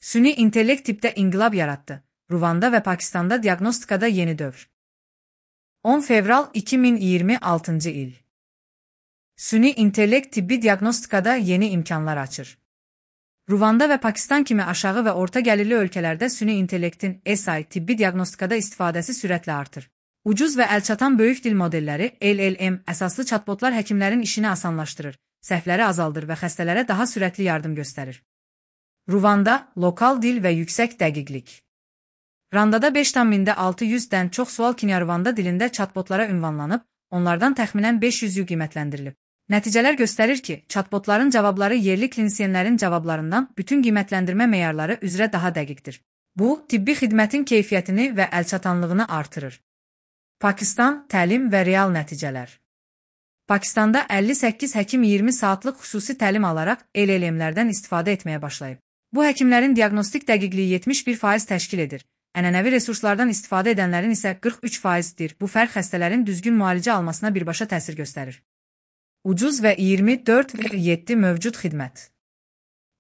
Süni intellekt tipdə inqilab yaratdı. Ruvanda və Pakistanda diagnostikada yeni dövr. 10 fevral 2026 il. Süni intellekt tibbi diagnostikada yeni imkanlar açır. Ruvanda və Pakistan kimi aşağı və orta gəlirli ölkələrdə süni intellektin SI tibbi diagnostikada istifadəsi sürətlə artır. Ucuz və əlçatan böyük dil modelləri LLM əsaslı chatbotlar həkimlərin işini asanlaşdırır, səhvləri azaldır və xəstələrə daha sürətli yardım göstərir. Ruvanda, lokal dil və yüksək dəqiqlik. Randada 5,600-dən çox sual Kinyarvanda dilində chatbotlara ünvanlanıb, onlardan təxminən 500-ü qiymətləndirilib. Nəticələr göstərir ki, chatbotların cavabları yerli klinisyenlərin cavablarından bütün qiymətləndirmə meyarları üzrə daha dəqiqdir. Bu, tibbi xidmətin keyfiyyətini və əlçatanlığını artırır. Pakistan, təlim və real nəticələr. Pakistanda 58 həkim 20 saatlıq xüsusi təlim alaraq LLM-lərdən istifadə etməyə başlayıb. Bu həkimlərin diagnostik dəqiqliyi 71% təşkil edir. Ənənəvi resurslardan istifadə edənlərin isə 43%dir. Bu fərq xəstələrin düzgün müalicə almasına birbaşa təsir göstərir. Ucuz və 24/7 mövcud xidmət.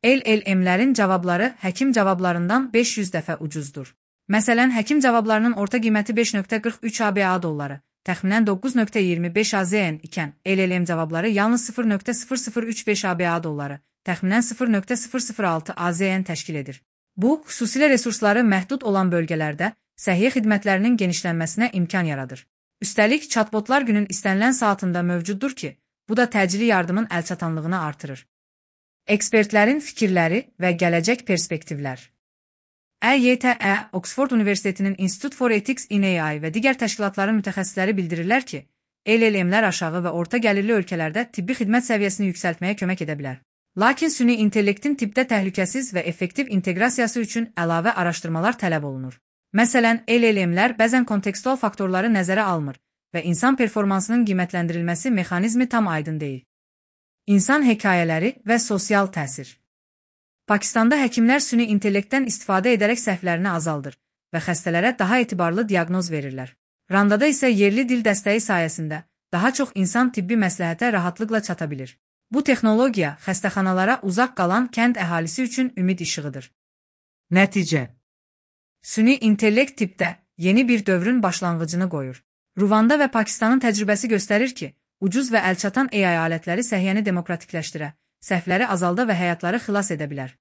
LLM-lərin cavabları həkim cavablarından 500 dəfə ucuzdur. Məsələn, həkim cavablarının orta qiyməti 5,43 ABA dolları, təxminən 9,25 AZN ikən, LLM cavabları yalnız 0,0035 ABA dolları, təxminən 0,006 AZN təşkil edir. Bu, xüsusilə resursları məhdud olan bölgələrdə səhiyyə xidmətlərinin genişlənməsinə imkan yaradır. Üstəlik, chatbotlar günün istənilən saatında mövcuddur ki, bu da təcili yardımın əlçatanlığını artırır. Ekspertlərin fikirləri və gələcək perspektivlər. EYTE, Oxford Universitetinin Institute for Ethics in AI və digər təşkilatların mütəxəssisləri bildirirlər ki, LLM-lər aşağı və orta gəlirli ölkələrdə tibbi xidmət səviyyəsini yüksəltməyə kömək edə bilər. Lakin süni intellektin tibbdə təhlükəsiz və effektiv inteqrasiyası üçün əlavə araşdırmalar tələb olunur. Məsələn, LLM-lər bəzən kontekstual faktorları nəzərə almır və insan performansının qiymətləndirilməsi mexanizmi tam aydın deyil. İnsan hekayələri və sosial təsir. Pakistanda həkimlər süni intellektdən istifadə edərək səhvlərini azaldır və xəstələrə daha etibarlı diaqnoz verirlər. Randada isə yerli dil dəstəyi sayəsində daha çox insan tibbi məsləhətə rahatlıqla çata bilir. Bu texnologiya xəstəxanalara uzaq qalan kənd əhalisi üçün ümid işığıdır. Nəticə. Süni intellekt tibbdə yeni bir dövrün başlanğıcını qoyur. Ruvanda və Pakistanın təcrübəsi göstərir ki, ucuz və əlçatan AI alətləri səhiyyəni demokratikləşdirə, səhvləri azalda və həyatları xilas edə bilər.